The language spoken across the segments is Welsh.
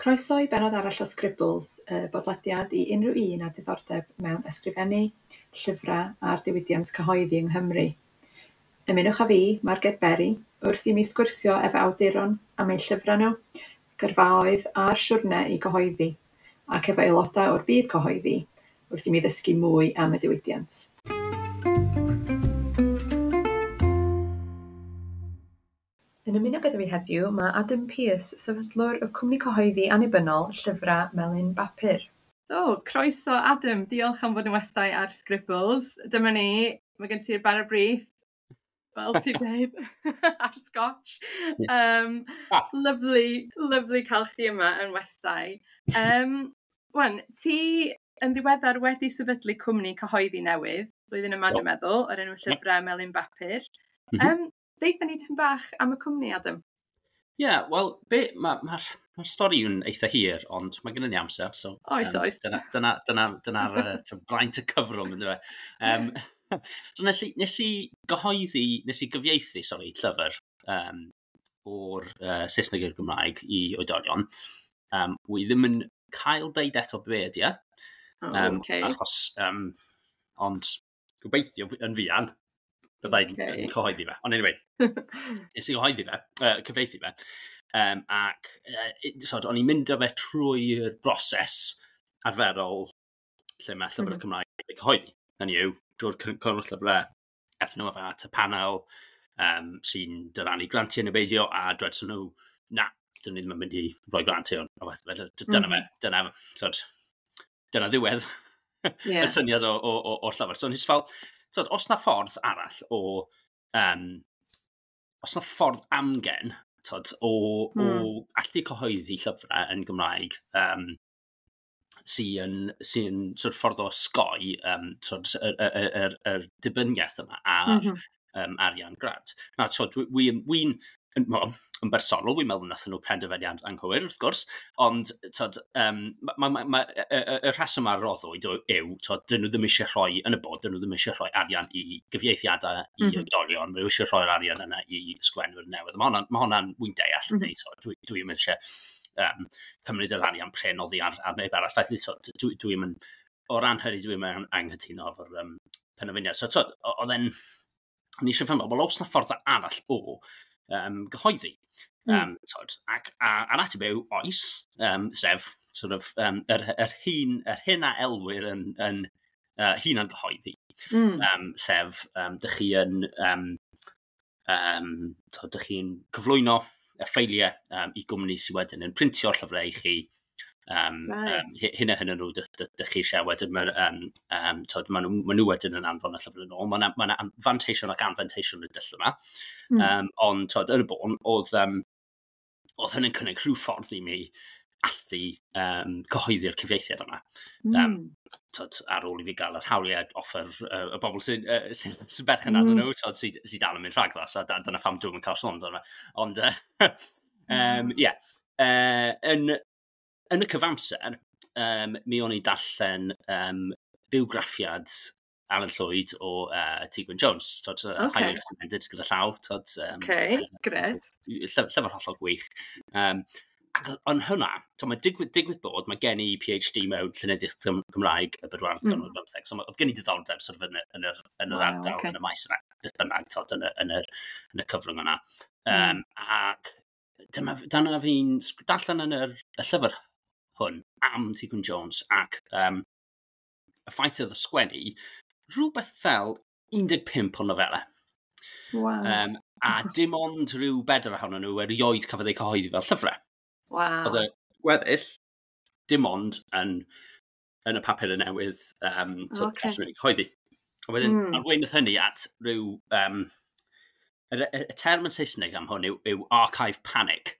Croeso i bennod arall o Scribbles, y bodlediad i unrhyw un â diddordeb mewn ysgrifennu, llyfrau a'r diwydiant cyhoeddi yng Nghymru. Ymunwch â fi, Marged Berry, wrth i mi sgwrsio efo awduron am eu llyfrau nhw, gyrfaoedd a'r siwrne i gyhoeddi, ac efo aelodau o'r byd cyhoeddi, wrth i mi ddysgu mwy am y diwydiant. Yn ymuno gyda fi heddiw mae Adam Pearce, sefydlwr y cwmni cyhoeddi annibynnol Llyfrau Melin Bapur. So, croeso Adam, diolch am fod yn westai ar Scribbles. Dyma ni, mae gen ti'r bara brith, fel ti'n dweud, ar Scotch. Lovely, lovely cael chdi yma yn westai. Wan, ti yn ddiweddar wedi sefydlu cwmni cyhoeddi newydd, blwyddyn yma dwi'n meddwl, o'r enw Llyfrau Melin Bapur. Deutha ni tipyn bach am y cwmni, Adam. Ie, yeah, wel, mae'r ma stori yn eitha hir, ond mae gennym ni amser, so. Oes, oes. Dyna'r braint y cyfrwng, ynddo fe. So nes i gyhoeddi, nes i gyfieithu, sori, llyfr o'r Saesneg i'r Gymraeg i oedolion. Wi ddim yn cael deud eto be ydi e. Okay. Achos, ond gobeithio yn fuan, byddai'n cyhoeddi fe. Ond anyway, nes i gyhoeddi fe, cyfieithu fe. Ac so, o'n i'n mynd â fe trwy'r broses arferol lle mae llyfrau Cymraeg yn cyhoeddi. Hynny yw, drwy'r cyngor llyfrau, ethon nhw efo at y panel sy'n dyrannu grantiau neu beidio, a dwedson nhw, na, dyn ni ddim yn mynd i roi grantiau. Felly, dyna fe, dyna, so, dyna ddiwedd y syniad o'r llyfr. So, nes fel, so, os na ffordd arall o, os na ffordd amgen, tod, o allu cyhoeddi llyfrau yn Gymraeg, sy sort of ffordd o osgoi tod, y dibyniaeth yma ar arian grant. Na, tod, wi well, yn bersonol, wi'n meddwl nathon nhw penderfyniad anghywir, wrth gwrs, ond tod, y rheswm a roddwyd yw, tod, dyn nhw ddim eisiau rhoi, yn y bod, dyn nhw ddim eisiau rhoi arian i gyfieithiadau i oedolion, maen nhw eisiau rhoi'r arian yna i sgwennwyr newydd. Mae hwnna'n wy'n deall, neu, so, dwi'm eisiau cymryd yr arian pren oddi ar neb arall. Felly, so, dwi'n mynd, o ran hynny, dwi'n mynd anghytuno efo'r penderfyniad. So, tod, oedd e'n, ni eisiau ffeindio, wel, oes na ffordd arall o gyhoeddi? Tod, ac a'r ateb yw oes, sef sort of, yr hyn a elwir yn hunan gyhoeddi. Sef, dych chi yn, tod, dych chi'n cyflwyno y ffeiliau i gwmni sydd wedyn yn printio'r llyfrau i chi. Hyn a hyn nhw dych chi eisiau wedyn tod, ma nhw wedyn yn anfon y llyfr yn ôl. Mae yna ma fanteision ac anfanteision y dull yma. Ond tod, yn y bôn, oedd hynny'n cynnig rhyw ffordd i mi allu cyhoeddi'r cyfieithiad yma. Tod, ar ôl i fi gael yr hawliau off y bobl sy berchen arnyn nhw, tod, sy dal yn mynd rhagddo, so dyna pham dwi'n cael sôn amdano fe. Ond, ie, yn y cyfamser, mi o'n i darllen bywgraffiad Alan Llwyd o Ti Gwyn Jones. Tod, highly recommended gyda llaw. Tod, Okay, grêt. Llyfr hollol gwych. Ac ond hwnna, to, mae digwydd bod, mae gen i PhD mewn llenyddiaeth Gymraeg y bedwaredd ganrif bymtheg. So oedd gen i diddordeb sort of yn yr ardal, yn y maes yna, beth bynnag, tod, yn y cyfrwng yna. Ac dyma fi'n darllen yn y llyfr hwn am Ti Gwyn Jones ac y ffaith oedd y sgwennu rhywbeth fel 15 o nofelau. A dim ond rhyw bedwar ohonyn nhw erioed cafodd eu cyhoeddi fel llyfrau. Oedd y gweddill dim ond yn y papur y newydd so, okay, cyhoeddi. A wedyn, arweiniodd hynny at rhyw... Y term yn Saesneg am hwn yw archive panic.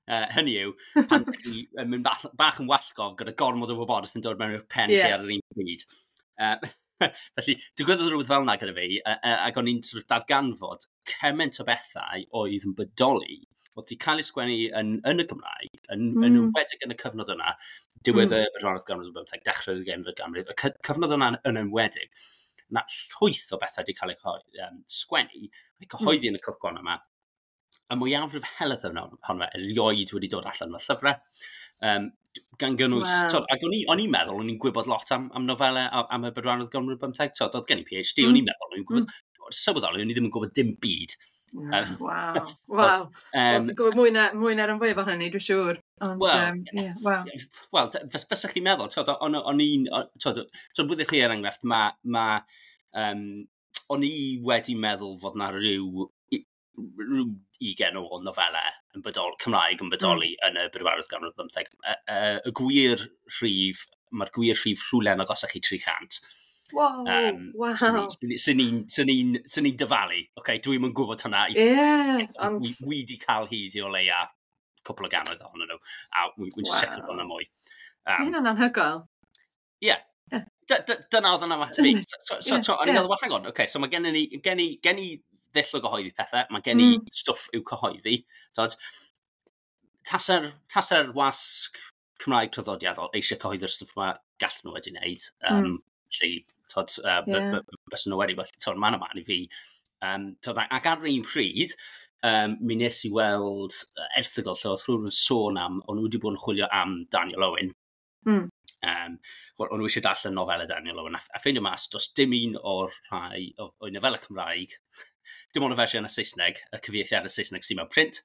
Hynny yw, pan ti yn mynd bach yn wallgof gyda gormod o wybodaeth yn dod mewn i'r pen chi ar yr un pryd. Felly, digwyddodd rhywbeth fel yna gyda fi, ac o'n i'n sort of darganfod cymaint o bethau oedd yn bodoli, oedd wedi cael ei sgwennu yn y Gymraeg, yn enwedig yn y cyfnod yna, diwedd y bedwaredd ganrif ar bymtheg, dechrau'r ugeinfed ganrif, y cyfnod yna yn enwedig, na llwyth o bethau wedi cael eu sgwennu, eu cyhoeddi yn y cylchgrawn yma, Y mwyafrif helaeth ohono fe erioed wedi dod allan fel llyfrau. Gan gynnwys, twod, ac o'n i'n meddwl, o'n i'n gwybod lot am nofelau, am y bedwaredd ganrif bymtheg, twod, oedd gen i PhD, o'n i'n meddwl, o'n i'n gwybod, sylweddoli, o'n i ddim yn gwybod dim byd. Waw. Wel, ti'n gwybod mwy na'r rhan fwyaf ohono ni, dwi'n siŵr. Ond, Wel, yeah, waw. Wel, fysach chi'n meddwl, twod, o'n i'n, twod, twod, byddech chi er enghraifft, o'n i wedi meddwl fod na rhyw 20 o nofelau yn bodol, Cymraeg yn bodoli yn y bedwaredd ganrif bymtheg. Y gwir rhif, mae'r gwir rhif rhywle yn agosach i 300. Sy'n ni'n dyfalu. Okay, dwi'm yn gwybod hwnna. Ond Wi di cael hyd i o leia cwpl o gannoedd ohonyn nhw, a wy'n sicr bod yna mwy. Mae hynna'n anhygoel. Ie. Dyna oedd yna at fi. So, o'n i'n meddwl, well, hang on, okay, so mae gen i ddull o gyhoeddi pethau, mae gen i stwff i'w cyhoeddi. Tod, tase'r wasg Cymraeg traddodiadol eisiau cyhoeddi'r stwff yma, gallen nhw wedi wneud. Felly, tod, bysen nhw wedi, well, tod, man yma i fi. Tod, ac ar yr un pryd, mi nes i weld erthygl lle oedd rhywun yn sôn am, o'n nhw wedi bod yn chwilio am Daniel Owen. Wel, o'n nhw eisiau darllen nofelau Daniel Owen, a ffeindio mas, does dim un o'r rhai o'i nofelau Cymraeg, dim ond y fersiwn y Saesneg, y cyfieithiad y Saesneg sy'n mewn print.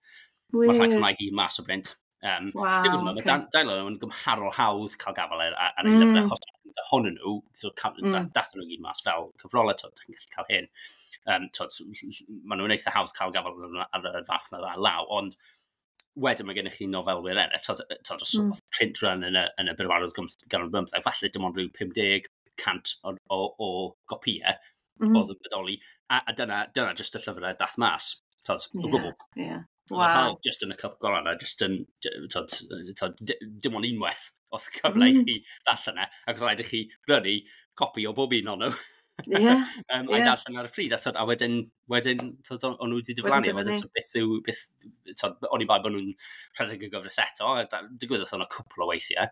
Mae'r rhai Cymraeg i mas o brint. Dim ond yma, mae Daniel Owen yn gymharol hawdd cael gafael ar ei lyfrau, achos ohonyn nhw, so, dathon nhw gyd mas fel cyfrolau, twod, chi'n gallu cael hyn. Twod, maen nhw'n eitha hawdd cael gafael ar y farchnad ar law, ond wedyn mae gennych chi nofelwyr eraill, twod, os oedd print run yn y bedwaredd ganrif bymtheg, falle dim ond rhyw 50, 100 o gopïau oedd yn bodoli, a dyna just y llyfrau dath mas, twod, o gwbl. Oedd y rhai just yn y cylchgronau, just yn, twod, twod, dim ond unwaith oedd cyfle i chi ddarllen e, ac oedd rhaid i chi brynu copi o bob un o'n nhw a'i darllen ar y pryd, a, twod, a wedyn twod, o'n nhw wedi diflannu, a wedyn, diflannu. Twod, beth yw, beth, twod, o'n i bai bod nhw'n rhedeg y gyfres eto, a digwyddodd hwnna cwpl o weithiau.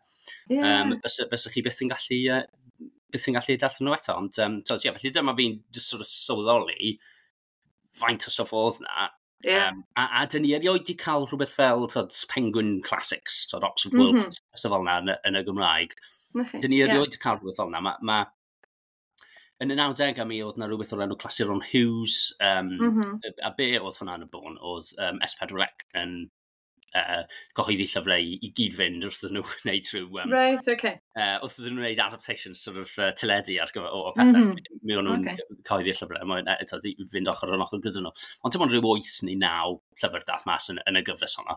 Bysa chi byth yn gallu darllen nhw eto, ond twod, ie, felly dyma fi'n just sort of sylweddoli faint o stwff oedd na. A dyn ni erioed di cael rhywbeth fel twod, Penguin Classics, twod, Oxford World, stuff fel na yn y Gymraeg. Na chi. Dyn ni erioed di cael rhywbeth fel na. Ma, yn y 90au mi oedd na rhywbeth o'r enw Clasuron Hughes, a be oedd hwnna yn y bôn, oedd S4C yn cyhoeddi llyfrau i gyd-fynd wrth iddyn nhw wneud trwy wrth iddyn nhw wneud adaptations sort of teledu ar gyfer o pethau. Mi o'n nhw'n cyhoeddi llyfrau, mwyn eto, i fynd ochr yn ochr gyda nhw. Ond dim ond rhyw 8 neu 9 llyfr dath mas yn y gyfres honno.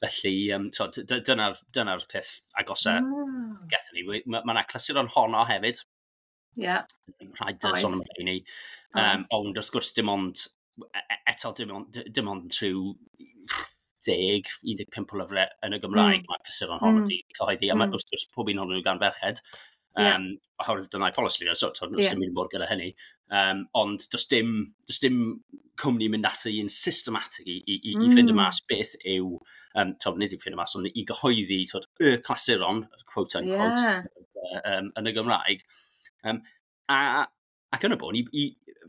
Felly, t'od, dyna peth agosa gethon ni. Mae 'na clasuron Honno hefyd. Rhaid sôn am rheini. Ond wrth gwrs dim ond, eto dim ond trwy 10, 15 o lyfrau yn y Gymraeg mae clasuron Honno wedi cyhoeddi. A mae wrth gwrs pob un ohonyn nhw gan ferched. Oherwydd dyna'i polisi, so does dim un bod gyda hynny. Ond does dim cwmni mynd ati yn systematig i ffeindio mas beth yw, twod, nid i ffeindio mas, ond i gyhoeddi twod, y clasuron, quote unquote, yn y Gymraeg. Ac yn y bôn,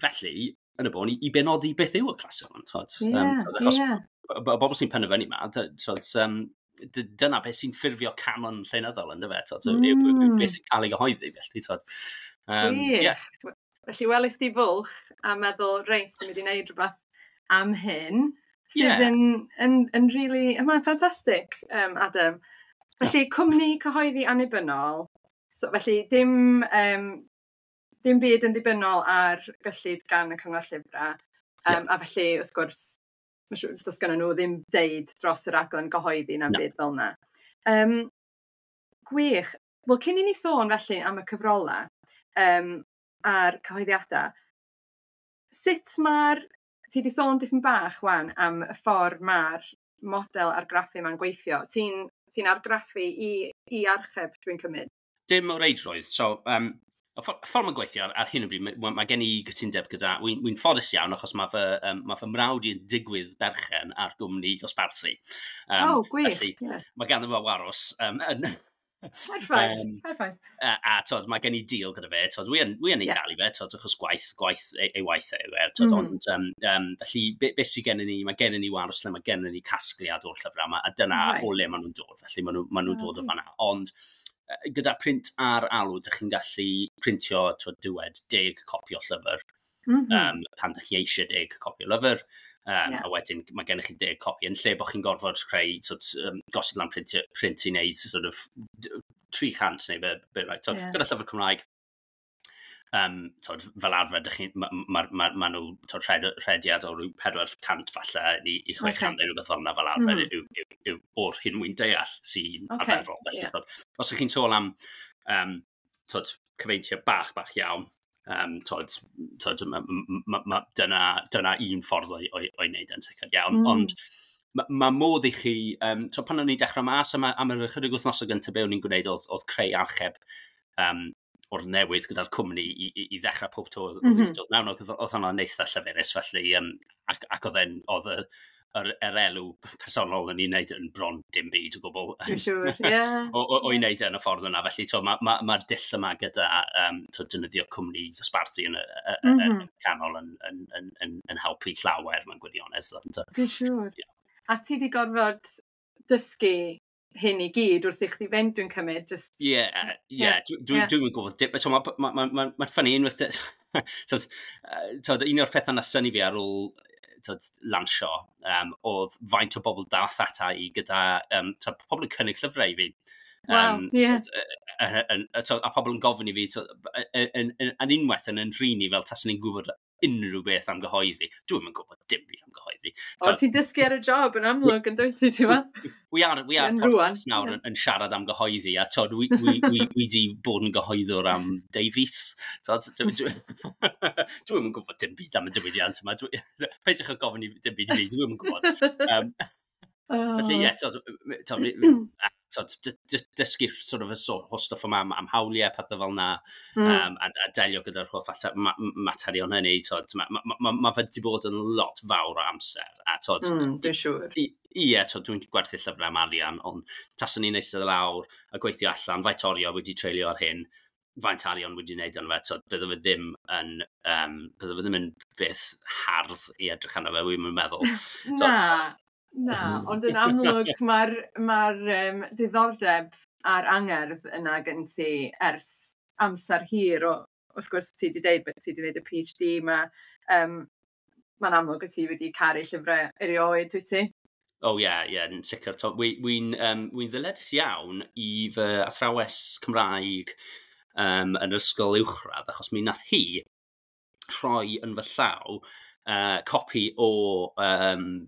felly, yn y bôn, i benodi beth yw y clasuron. Twod, twod, achos y bobl sy'n penderfynu ma, twod, dyna beth sy'n ffurfio canon llenyddol, ynddo fe, twod, yw beth sy'n cael ei gyhoeddi, felly, twod. Gwych. Ie. Felly welys di fwlch a meddwl, reit, dwi'n mynd i wneud rhywbeth am hyn, sydd yn really, mae'n ffantastig, Adam. Felly, cwmni cyhoeddi annibynnol, so, felly dim byd yn ddibynnol ar gyllid gan y Cyngor Llyfrau. A felly, wrth gwrs, ma' siŵr, does gynnon nhw ddim deud dros y raglen gyhoeddi na'n Na. byd fel 'na. Gwych. Wel, cyn i ni sôn felly am y cyfrolau a'r cyhoeddiadau, sut mae'r... Ti 'di sôn dipyn bach wan am y ffordd mae'r model argraffu ma'n gweithio. Ti argraffu i archeb, dwi'n cymryd? Dim o reidrwydd. So, y ffordd mae'n gweithio ar hyn o bryd, mae gen i gytundeb gyda, wy'n ffodus iawn achos mae fy mrawd i'n digwydd berchen ar gwmni dosbarthu. Oh, gwych. Felly, mae ganddo fo warws yn, Perffaith, perffaith. A tod, mae gen i deal gyda fe, tod, wi yn ei dalu fe, tod, achos gwaith ei waith e yw e, tod, ond felly, be sydd gennym ni, mae gennym ni warws lle mae gennym ni casgliad o'r llyfrau yma, a dyna o le maen nhw'n dod, felly maen nhw dod o fanna. Ond gyda print ar alw, dych chi'n gallu printio, tod, dywed, 10 copi o llyfr, pan dych chi eisiau 10 copi o lyfr, a wedyn mae gennych chi 10 copi, yn lle bod chi'n gorfod creu, sort, gosod lan print i wneud sort of 300 neu be right. So, gyda llyfr Cymraeg, tod, fel arfer, ma nhw tod, rhediad o ryw 400 falle i 600 neu rhywbeth fel yna fel arfer yw o'r hyn wy'n deall sy'n arferol. Felly, tod, os ydych chi'n sôn am tod, cyfeintiau bach, bach iawn, tod, ma, dyna un ffordd o'i wneud yn sicr iawn. Ond ma modd i chi, so pan o'n i'n dechrau mas am yr ychydig wythnosau gyntaf, be o'n i'n gwneud oedd creu archeb o'r newydd gyda'r cwmni i ddechrau pob tro oedd dod mewn. Oedd hwnna'n eitha llyfurus, felly, ac oedd yr elw personol yn ei wneud yn bron dim byd o gwbl. Dwi'n siŵr, ie. O'i wneud e yn y ffordd yna. Felly, ma dull yma gyda to, defnyddio cwmni dosbarthu yn y canol yn helpu llawer mewn gwirionedd. Ond, Dwi'n siŵr. A ti di gorfod dysgu hyn i gyd wrth i chdi fynd, dwi'n cymryd, just. Ie, dwi'n gwybod. So, ma funny unwaith. So, un o'r pethau nath synnu fi ar ôl tod, lansio, oedd faint o bobl dath ata i gyda, tod, pobl yn cynnig llyfrau i fi. Wow, yeah. Tod, a pobl yn gofyn i fi, tod, yn unwaith yn rhini fel taswn i'n gwybod unrhyw beth am gyhoeddi. Dwi'm yn gwybod dim byd am gyhoeddi. O, ti'n dysgu ar y job yn amlwg yn dwyt ti, ti'n meddwl? We are podcast nawr yn siarad am gyhoeddi, a tod, wi di bod yn gyhoeddwr am Davies. Tod, dwi'm yn gwybod dim byd am y diwydiant yma. Peidiwch â gofyn i dim byd i fi, dwi'm yn gwybod. Felly, ie, tod, dysgu sort of y sort o stuff yma am hawliau, pethau fel na, a delio gyda'r holl materion hynny, tod, ma fe wedi bod yn lot fawr o amser. A, tod, Dwi'n siŵr. Ie, tod, dwi'n gwerthu llyfrau am arian, ond taswn i'n eistedd lawr a gweithio allan, faint oriau wedi treulio ar hyn, faint arian wedi wneud arno fe, tod, bydde fe ddim yn beth hardd i edrych arno fe, wy'n meddwl. Na. Na, ond yn amlwg mae'r diddordeb a'r angerdd yna gen ti ers amser hir. O, wrth gwrs ti wedi deud bod ti wedi gwneud y PhD, mae'n amlwg bod ti wedi caru llyfrau erioed, dwyt ti? Oh, ie, yn sicr. Wy'n ddyledus iawn i fy athrawes Cymraeg yn yr ysgol uwchradd, achos mi nath hi rhoi yn fy llaw copi o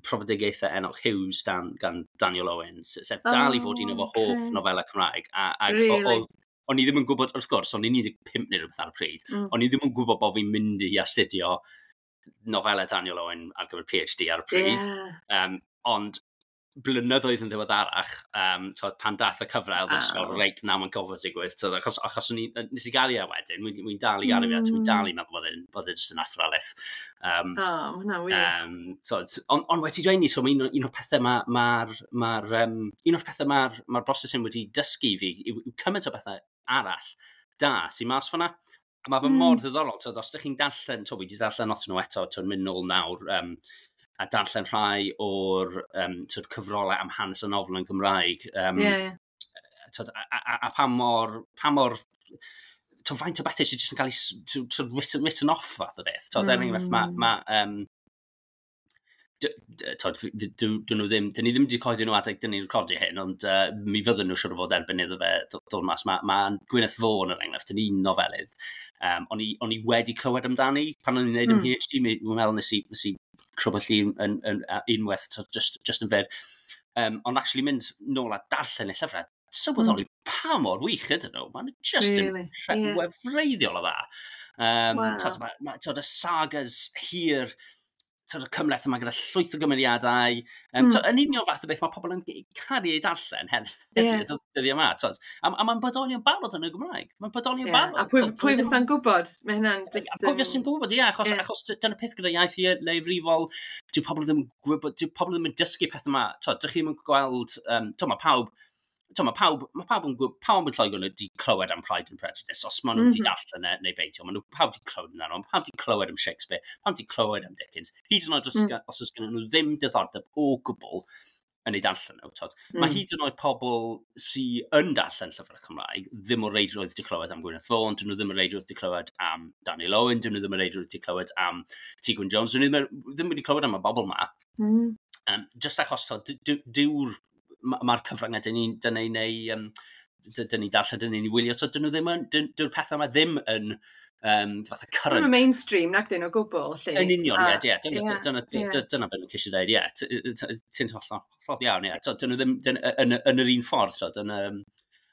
Profedigaethau Enoch Hughes gan Daniel Owen, sef dal i fod un o fy hoff nofelau Cymraeg. A Really? O'n i ddim yn gwybod, wrth gwrs, o'n i'n 15 neu rhywbeth ar y pryd, o'n i ddim yn gwybod bod fi'n mynd i astudio nofelau Daniel Owen ar gyfer PhD ar y pryd. Ond blynyddoedd yn ddiweddarach, tod, pan dath y cyfle, oedd yn just fel, reit, na, mae'n gofod digwydd. Tod, achos nes i gael i e wedyn, wy'n dal i gael i fe, dwi'n dal i meddwl bod e'n just yn athrylith. Oh, ma' hwnna'n wych. Tod, on wedi dweud ni, so un o'r pethau un o'r pethau ma broses hyn wedi dysgu fi yw cymaint o bethau arall da sy'n mas fan'na. A mae fe mor ddiddorol, tod, os ydych chi'n darllen, tod, wi wedi darllen lot o'n nhw eto, tod, mynd nôl nawr, a darllen rhai o'r tod, cyfrolau am hanes y nofel yn Gymraeg. Ie, ie. Tod, a pa mor, tod, faint o bethau sydd jyst yn cael ei tod, written off fath o beth. Tod, er enghraifft, ma, tod, dyn nhw ddim, dyn ni ddim wedi coeddi nhw adeg dyn ni'n recordio hyn, ond mi fydden nhw siŵr o fod erbyn iddo fe dod mas. Ma Gwyneth Vaughan, er enghraifft, yn un nofelydd. O'n i wedi clywed amdani pan o'n i'n gwneud PhD, mi'n meddwl nes i crybwyll un unwaith, tod, just yn fyr. Ond actually mynd nôl a darllen y llyfrau, sylweddoli pa mor wych ydyn nhw. Maen nhw just yn Really? Wefreiddiol o dda. Tod, tod, y sagas hir, tod, y cymhleth yma gyda llwyth o gymeriadau. Tod, yn union fath o beth mae pobl yn caru ei darllen heddiw, dyddiau yma. Tod. A mae'n bodoli yn barod yn y Gymraeg. Mae'n bodoli yn barod. A pwy, Tod, pwy fysa'n gwybod? Mae hynna'n just A pwy fysa'n gwybod, ie, achos dyna peth gyda iaith leiafrifol, dyw pobl ddim yn gwybod, dyw pobl ddim yn dysgu peth yma. Tod, dych chi'n gweld, tod, mae pawb Mae pawb, ma pawb, yn, pawb yn Lloegr wedi clywed am Pride and Prejudice, os maen nhw wedi darllen e neu beidio. Maen nhw pawb wedi clywed amdano, pawb wedi clywed am Shakespeare, pawb wedi clywed am Dickens. Hyd yn oed os, os oes gen nhw ddim diddordeb o gwbl yn ei darllen nhw. Tod. Mae hyd yn oed pobl sydd yn darllen llyfrau Cymraeg ddim o reidrwydd wedi clywed am Gwyneth Vaughan, dyn nhw ddim o reidrwydd wedi clywed am Daniel Owen, dyn nhw ddim o reidrwydd wedi clywed am Ti Gwyn Jones, dyn nhw ddim wedi clywed am y bobl ma. Just achos, tod, dyw'r mae'r cyfryngau dyn ni darllen, dyn ni'n wylio, so dyn nhw ddim yn, dyw'r pethau yma ddim yn fatha current. Ddim yn mainstream, nac dyn o gwbl, lle. Yn union, ie, dyna beth mae'n ceisio dweud, ie, ti'n hollol, hollol iawn, ie. Dyn nhw ddim yn yr un ffordd, so,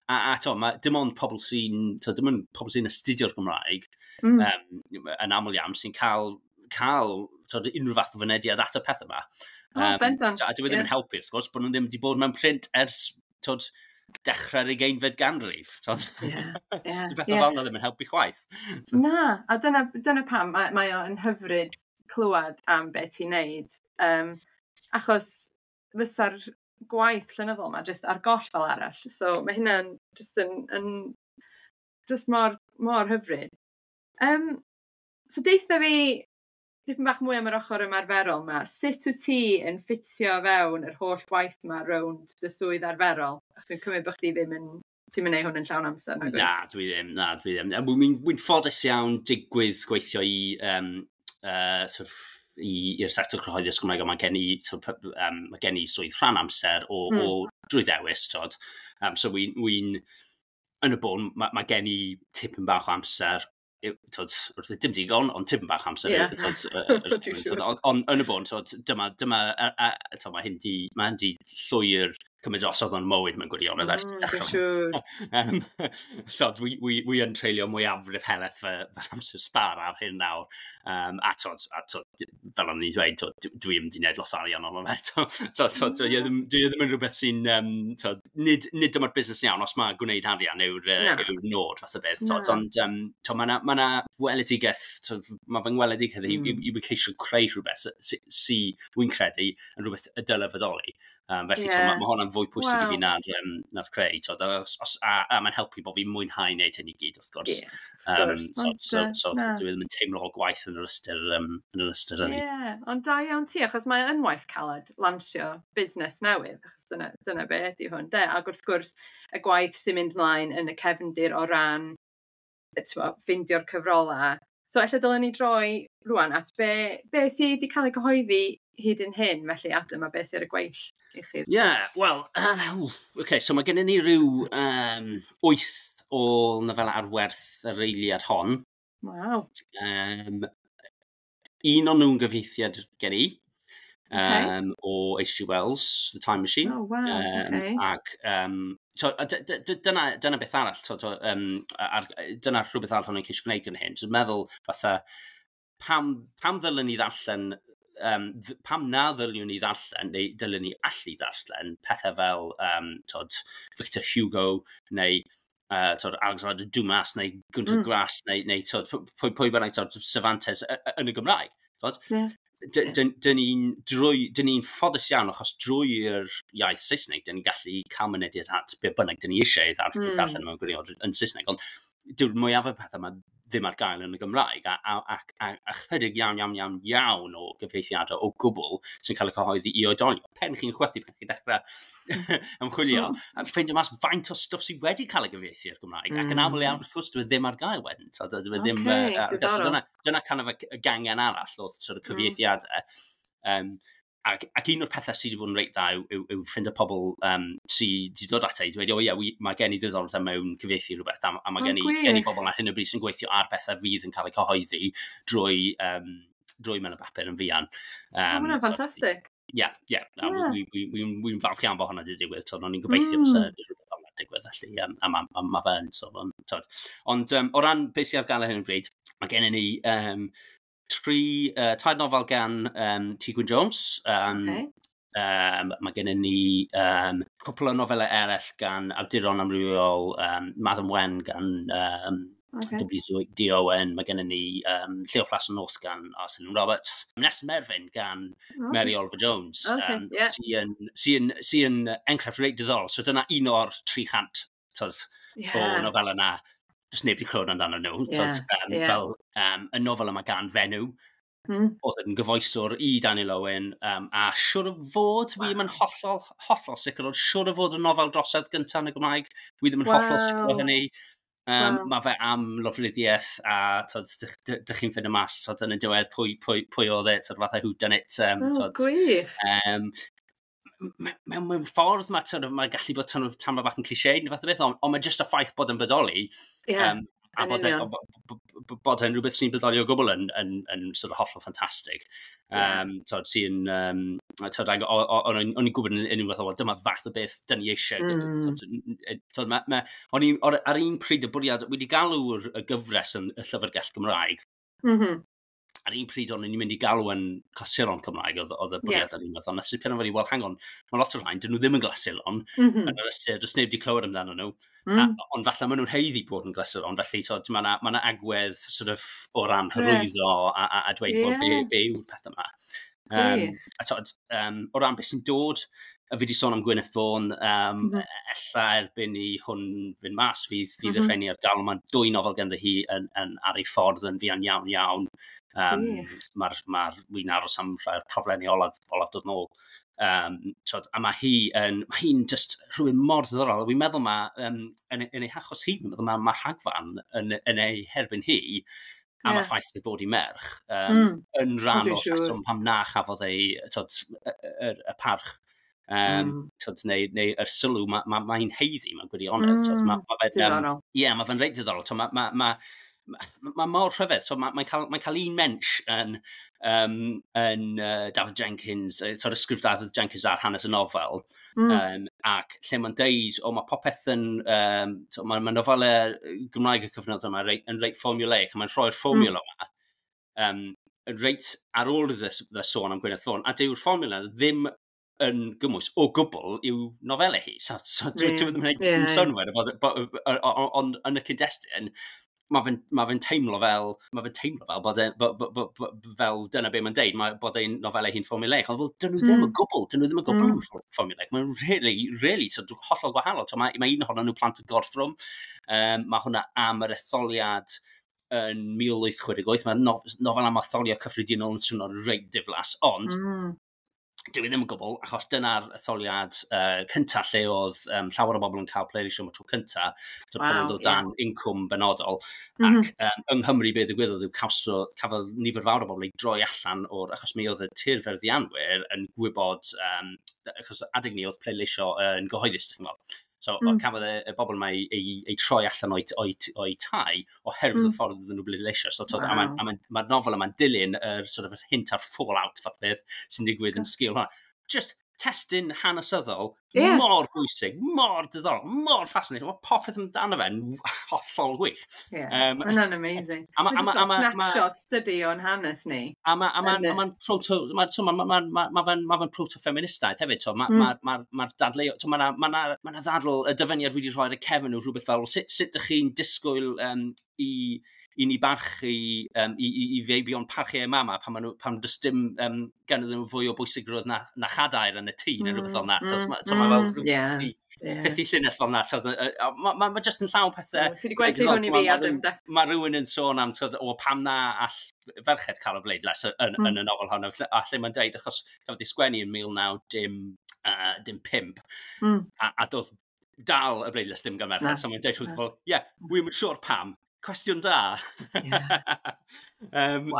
a to, ma, dim ond pobl sy'n, dim ond pobl sy'n astudio'r Gymraeg, yn aml iawn, sy'n cael to, unrhyw fath o fynediad at y pethau yma. Oh, bendant. A dwi ddim yn helpu, wrth gwrs, bod nhw ddim wedi bod mewn print ers tod, dechrau'r 20fed ganrif. Dwi bethau fel yna ddim yn helpu chwaith. Na, a dyna pam mae o'n hyfryd clywed am beth ti'n neud. Achos fysa'r gwaith llenyddol yma jyst ar goll fel arall. So mae hynna'n just yn just mor, mor hyfryd. So deutha fi dipyn bach mwy am yr ochr ymarferol yma. Sut wyt ti yn ffitio fewn yr holl waith yma rownd dy swydd arferol? Achos dwi'n cymryd bod chdi ddim yn... Ti'n mynd hwn yn llawn amser? Nag? Na, dwi ddim. Na, dwi ddim. Wy'n ffodus iawn digwydd gweithio i sort of, i'r sector cyhoeddus Gymraeg, a mae gen i, sort of, mae gen i swydd rhan amser o drwy ddewis, tod. So wy'n yn y bôn, mae gen i tipyn bach o amser, tod, wrth dim digon, ond tipyn bach amser. Tod, tod, ond yn y bôn, tod, dyma, a, tod, mae hyn di llwyr cymryd drosodd o'n mywyd mewn gwirionedd ers Dwi'n siŵr. So dwi yn treulio mwyafrif helaeth fy amser sbar ar hyn nawr. A tod, fel o'n i'n dweud, tod, dwi ddim wedi gwneud lot o arian ono fe. So, dwi ddim yn rhywbeth sy'n, tod, nid dyma'r busnes iawn os mae gwneud arian yw'r nod fath o beth. Tod, ond tod, mae 'na weledigaeth, tod, mae fy ngweledigaeth i, i ceisio creu rhywbeth sy, wy'n credu, yn rhywbeth y dyle fodoli. Felly yeah. Mae hwnna'n fwy pwysig i fi na'r creu. Tod, a mae'n helpu bod fi'n mwynhau wneud hyn i gyd, wrth gwrs. Yeah, wrth gwrs. So dwi ddim yn teimlo o gwaith yn yr ystyr hynny. Ie, ond da iawn ti, achos mae yn waith caled lansio busnes newydd, achos dyna be ydy hwn, de. Ac wrth gwrs, y gwaith sy'n mynd mlaen yn y cefndir o ran t'mo, ffeindio'r cyfrolau. So, ella dylen ni droi rwan at be sydd wedi cael ei gyhoeddi hyd yn hyn, felly Adam, a be sydd ar y gweill i chi. Ie, yeah, wel, okay, so mae gennym ni rhyw 8 o nofela ar werth yr eiliad hon. Waw. Un o'n nhw'n gyfieithiad gen i, o H.G. Wells, The Time Machine. Oh, wow, Ac so, a dyna beth arall, to, dyna rhywbeth arall o'n i'n ceisio gwneud yn hyn. Dwi'n meddwl, fatha, pam ddylen ni ddarllen, pam na ddyliwn ni ddarllen, neu dylen ni allu darllen pethau fel tod, Victor Hugo, neu tod, Alexander Dumas, neu Günter Grass, neu tod, pwy bynnag, tod, Cervantes yn y Gymraeg. Tod? Dyn ni'n ffodus iawn achos drwy'r iaith Saesneg, dyn ni'n gallu cael mynediad at be bynnag dyn ni eisiau darllen mewn gwirionedd yn Saesneg. Ond dyw'r mwyaf o pethau yma ddim ar gael yn y Gymraeg, a chydig iawn, iawn, iawn, iawn o gyfieithiadau o gwbl sy'n cael eu cyhoeddi i oedolion. Pen chi'n chwythu, pen chi'n dechrau ymchwilio, a ffeindio mas faint o stwff sydd wedi cael ei gyfieithu i'r Gymraeg. Ac yn aml iawn, wrth gwrs, dwi ddim ar gael wedyn. So, dwi ddim, so dyna kind of y gangen arall o sort of cyfieithiadau. Ac un o'r pethau sydd wedi bod yn reit dda yw ffindo pobl sydd wedi dod ata i dweud, "O ie, mae gen i ddiddordeb mewn cyfieithu rhywbeth," a mae gen i bobl ar hyn o bryd sy'n gweithio ar bethau fydd yn cael eu cyhoeddi drwy mewn y bapur yn fuan. Oh, hwnna'n ffantastig. Ie. Wy'n falch iawn bod hwnna wedi digwydd. So, o'n i'n gobeithio fysa rhywbeth fel 'na'n digwydd, felly, a ma fe yn. So, tod. Ond o ran beth sydd ar gael ar hyn o bryd, mae gennym ni tair nofel gan T Gwyn Jones. Mae gennym ni cwpl o nofelau eraill gan awduron amrywiol, Madam Wen gan W.D. Owen, mae gennym ni Llew Plas y Nos gan Arsenal Roberts, Nest Merfyn gan Mary Oliver Jones, sy enghraifft reit diddorol. So dyna un o'r 300 tod, o nofel yna. Does neb wedi clywed amdano nhw. Tod, fel y nofel yma gan fenyw, oedd yn gyfoeswr i Daniel Owen, a siwr o fod, fi ddim yn hollol, hollol sicr, ond siwr o fod y nofel drosedd gyntaf yn y Gymraeg. Dwi ddim yn hollol sicr o hynny. Mae fe am lofruddiaeth a tod, dych chi'n ffindo mas tod, yn y diwedd pwy oedd e, tod, fatha who done it. Oh, tod, gwych. Mewn ffordd mae, tod, mae gallu bod tod, tamad bach yn cliché neu fath o beth, ond mae jyst y ffaith bod yn bodoli, a bod e'n rhywbeth sy'n bodoli o gwbl yn sort of hollol ffantastig. Tod, sy'n, tod, o'n i'n gwybod yn unwaith o, dyma fath o beth dyn ni eisiau. Tod, tod, o'n i, ar un pryd y bwriad, wedi galw'r y gyfres yn y Llyfrgell Gymraeg. Ar un pryd o'n i'n mynd i galw yn clasuron Cymraeg, oedd y bwriad ar un fath, ond nes i penderfynu, well, hang on, mae lot o'r rhain, dyn nhw ddim yn glasuron, yn yr ystyr, does neb wedi clywed amdano nhw, ond falle maen nhw'n haeddu bod yn glasuron, felly tod, mae yna ma agwedd sort of, o ran hyrwyddo a dweud, well, be yw'r peth yma. A tod, o ran beth sy'n dod, a fi wedi sôn am Gwyneth Vaughan, ella erbyn i hwn fynd mas, fydd y rheini ar gael. Mae dwy nofel ganddo hi yn ar ei ffordd yn fuan iawn iawn. Wi'n aros am rhai'r proflenni olaf dod nôl. Tod, a mae hi'n just rhywun mor ddiddorol. Wi'n meddwl mae, yn ei hachos hi, wi'n meddwl mae rhagfarn yn ei herbyn hi, am y ffaith ei bod hi merch, yn rhan Dwi'n o'r siŵr. rheswm pam na chafodd ei, tod, y parch tod, neu yr sylw ma hi'n haeddu mewn gwirionedd. Tod, ma fe'n, Diddorol. Ie, mae fe'n reit diddorol. Tod, ma mor rhyfedd. So, mae'n cael, mae cael un mensh yn Dafydd Jenkins, tod, ysgrif Dafydd Jenkins ar hanes y nofel, ac lle mae'n deud, o, mae popeth yn, to, mae nofelau Gymraeg y cyfnod yma yn reit formulaic, a mae'n rhoi'r fformiwla yma, yn reit ar ôl iddo sôn am Gwyneth Vaughan, a dyw'r fformiwla ddim yn gymwys o gwbl i'w nofelau hi. So dwi ddim yn gwneud synnwyr, ond yn y cyd-destun, mae fe'n teimlo fel bod, e, bo, bo, bo, bo, fel dyna be mae'n deud, mae bod ein nofelau hi'n formulaic. Ond wel, dyn nhw ddim o gwbl, dyn nhw ddim o gwbl yn formulaic. Mae'n really, really so, hollol gwahanol. So, mae un ohonyn nhw, Plant y Gorthrwm, mae hwnna am yr etholiad yn 1868. Mae nofel am etholiad cyffredinol yn swnio'n reit diflas, ond dwi ddim yn gwbl, achos dyna'r etholiad cyntaf lle oedd llawer o bobl yn cael pleidleisio am y tro cyntaf, so pobl yn dod dan incwm benodol, ac yng Nghymru be ddigwyddodd yw cafodd nifer fawr o bobl ei droi allan o'r, achos mi oedd y tirfeddianwyr yn gwybod, achos adeg ni oedd pleidleisio yn gyhoeddus, dych chi'n gwybod. So cafodd y bobl yma ei troi allan o'i tai oherwydd y ffordd iddyn nhw bleidleisio. So, tod, a ma nofel yma'n dilyn yr sort of, yr hint a'r fallout fath o beth sy'n digwydd yn sgil hwnna. Just testun hanesyddol mor bwysig, mor diddorol, mor fascinating. Mae popeth amdano fe'n hollol wych. Mae hwnna'n amazing. A Mae jyst fel snapshots dydy o'n hanes ni. A ma'n proto, ma, so, ma fe'n proto-feministaidd hefyd, so, ma dadleu, so, ma na ddadl, y dyfyniad wedi rhoi ar y cefn nhw rhywbeth fel, sut dych chi'n disgwyl i ni barchu, i feibion parchu eu mama pan does dim ganddyn nhw fwy o bwysigrwydd na chadair yn y tŷ neu rhywbeth fel 'na. So, ma fel peth i llinell fel 'na. Ma just yn llawn pethau. Ti wedi gwerthu hwn i fi, Adam. Mae rhywun yn sôn am, tod, o pam na all ferched cael y bleidlais yn y nofel honno. A lle mae'n deud, achos cafodd ei sgwennu yn 19 dim 5, a doedd dal y bleidlais ddim gan merched. Na. So mae'n deud rhywbeth fel, ie, yeah, wi'm yn siŵr pam. Cwestiwn da.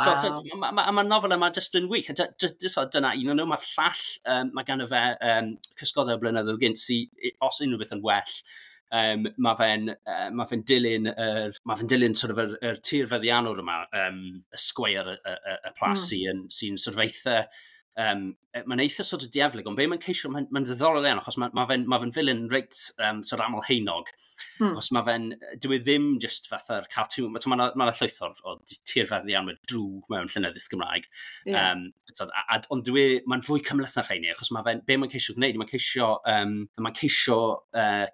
So, ma nofel yma jyst yn wych. A so, dyna un o'n nhw. Mae'r llall, mae ganddo fe Cysgodau Blynyddoedd Gynt, sy, os unrhyw beth yn well, mae fe'n dilyn sort of yr tirfeddiannwr yma, y sgweir y plas sy sort of eitha, mae'n eitha sort of dieflig, ond be mae'n ceisio, mae'n ddiddorol iawn, achos mae ma fe'n ma fe villain reit sort of aml haenog. Achos mae fe'n, dyw e ddim just fatha'r cartoon, mae ma llwyth o tirfeddianwyr drwg mewn llenyddiaeth Gymraeg. So, ond mae'n fwy cymhleth na rheini, achos mae fe'n, be mae'n ceisio gwneud, mae'n ceisio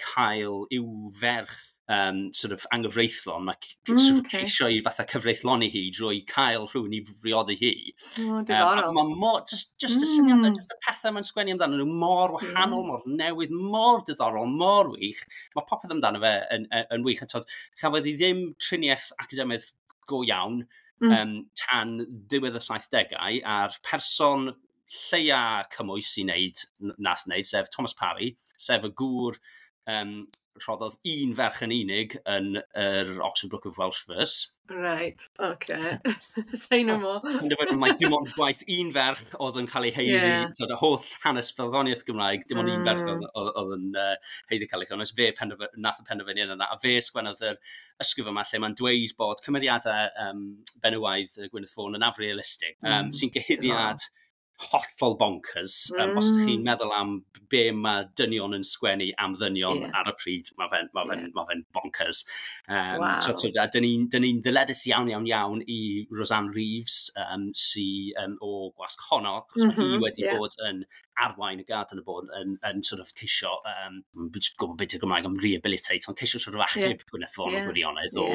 cael i'w ferch sort of anghyfreithlon, mae sort of ceisio i fatha cyfreithloni hi drwy cael rhywun i briodi hi. Oh, diddorol. Mae mor, just y syniadau, just y pethau mae'n sgwennu amdano nhw mor wahanol, mor newydd, mor diddorol, mor wych. Mae popeth amdano fe yn wych. A tod, chafodd hi ddim triniaeth academaidd go iawn tan diwedd y 70au, a'r person lleia cymwys i wneud, nath wneud, sef Thomas Parry, sef y gŵr rhoddodd un ferch yn unig yn yr Oxford Book of Welsh Verse. Right, okay. Say no more. Penderfynu mai dim ond gwaith un ferch oedd yn cael ei haeddu, tod, y holl hanes barddoniaeth Gymraeg, dim ond un ferch oedd yn haeddu cael ei chynnwys. Fe nath y penderfyniad yna, a fe sgwennodd yr ysgrif yma lle mae'n dweud bod cymeriadau benywaidd Gwyneth Vaughan yn afrealistig, sy'n gyhuddiad hollol bonkers. Os ydych chi'n meddwl am be mae dynion yn sgwennu am ddynion ar y pryd, ma fe bonkers. So, a dyn ni'n ni ddyledus iawn, iawn, iawn i Roseanne Reeves, sy o Gwasg Honno, achos mae hi wedi bod yn arwain y gad yn y bod yn sort of ceisio, gwybod beth yw'r Gymraeg am rehabilitate, ond ceisio sort of achub Gwyneth Vaughan o gwirionedd. O,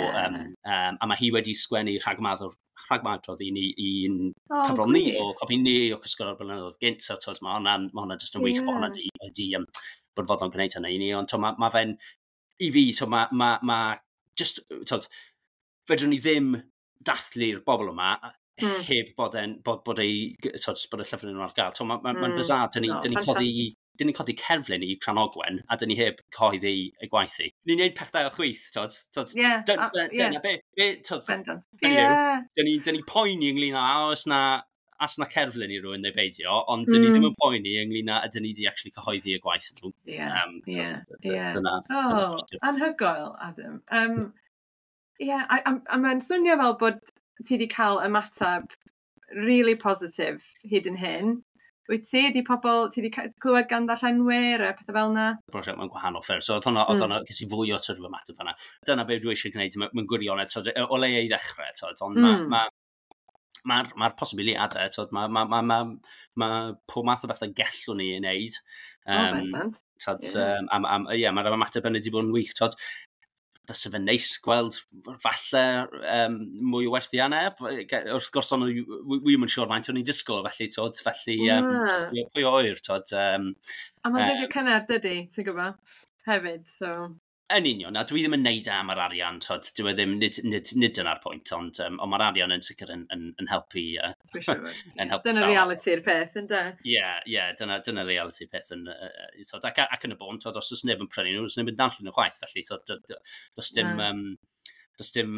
a mae hi wedi sgwennu rhagmadrodd i ni i'n cyfrol ni, o copi ni o Cysgod o'r blynyddoedd gynt, so tod, ma hwnna jyst yn wych bod hwnna di bod fodlon gwneud hynny i ni, ond to, ma fe'n, i fi, so ma just, tod, fedrwn ni ddim dathlu'r bobl yma heb bod ei, tod, bod y llyfr nhw ar gael. So, ma bizarre, dyn ni codi cerflun i Cranogwen, a dyn ni heb cyhoeddi ei gwaith i. Ni'n neud pethau o chwith, tod. Tod, dyna be, tod, hynny yw, dyn ni poeni ynglyn â oes na cerflun i rywun neu beidio, ond dyn ni ddim yn poeni ynglyn â ydyn ni di actually cyhoeddi y gwaith nhw. Tod, dyna Oh, cwestiwn. Anhygoel, Adam. Yeah, a mae'n swnio fel bod ti wedi cael ymateb really positif hyd yn hyn. Wyt ti, di pobl, ti wedi clywed gan ddarllenwyr a pethau fel yna? Prosiect mewn gwahanol ffyrdd. So oedd hwnna, ges i fwy o sort of ymateb fan'na. Dyna be dwi eisiau gwneud mewn gwirionedd, so, o le i ddechrau, tod, ond ma posibiliadau, tod, ma pob math o bethau gellwn ni ei wneud. O, bendant. Tod, ie, mae'r ymateb yn wedi bod yn wych, tod, fysa fe'n neis gweld falle mwy o werthiannau. Wrth gwrs, ond wi ddim yn siŵr faint o'n i'n disgwyl, felly, tod, felly, pwy oer, tod. A mae'n ddyddiau cynnar, dydy, ti'n gwybod, hefyd, so. Yn union, a dwi ddim yn neud e am yr arian, tod, dwi e ddim, nid dyna'r pwynt, ond mae'r arian yn sicr yn helpu, Dwi'n siŵr. yn helpu Dyna llawer. realiti'r peth, ynde? Ie, dyna realiti'r peth, yn, tod, ac yn y bôn, tod, os oes neb yn prynu nhw, oes neb yn darllen nhw chwaith, felly, tod, does dim, Na. Does dim,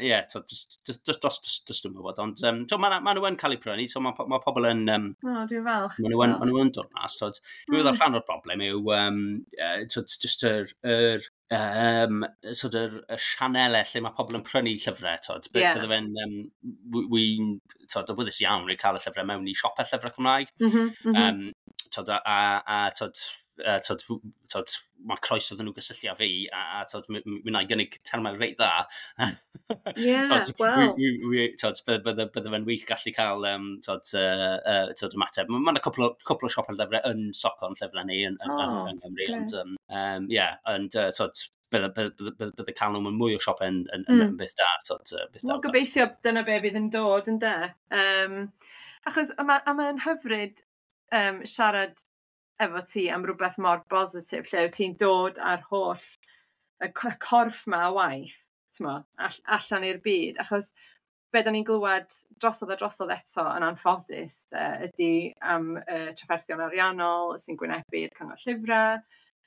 ie, tod, does dim wybod, ond, tod, ma nhw yn cael eu prynu, so ma pobl yn, O, dwi'n falch. Ma nhw yn dod mas, tod. Dwi'n meddwl rhan o'r broblem yw, tod, just sort yr, y sianelau lle mae pobl yn prynu llyfrau, tod. Bydde fe'n, wi'n, tod, awyddus iawn i cael y llyfrau mewn i siopau llyfrau Cymraeg. Tod, a, tod, tod, mae croeso iddyn nhw gysylltu â fi, a tod, mi wna i gynnig termau reit dda. Tod, tod, bydde fe'n wych gallu cael, tod, tod, ymateb. Ma' 'na cwpl o siopau llyfrau yn Stockholm llyfrau ni yng Nghymru, ond, ie, ond, tod, bydde cael nhw mewn mwy o siopau yn beth da, tod, beth da. Wel, gobeithio dyna be fydd yn dod, ynde? Achos a mae'n hyfryd siarad efo ti am rhywbeth mor bositif, lle wyt ti'n dod â'r holl y corff ma o waith, t'mo, allan i'r byd, achos be da ni'n glywed drosodd a drosodd eto yn anffodus, ydy am trafferthion ariannol sy'n gwynebu'r Cyngor Llyfrau,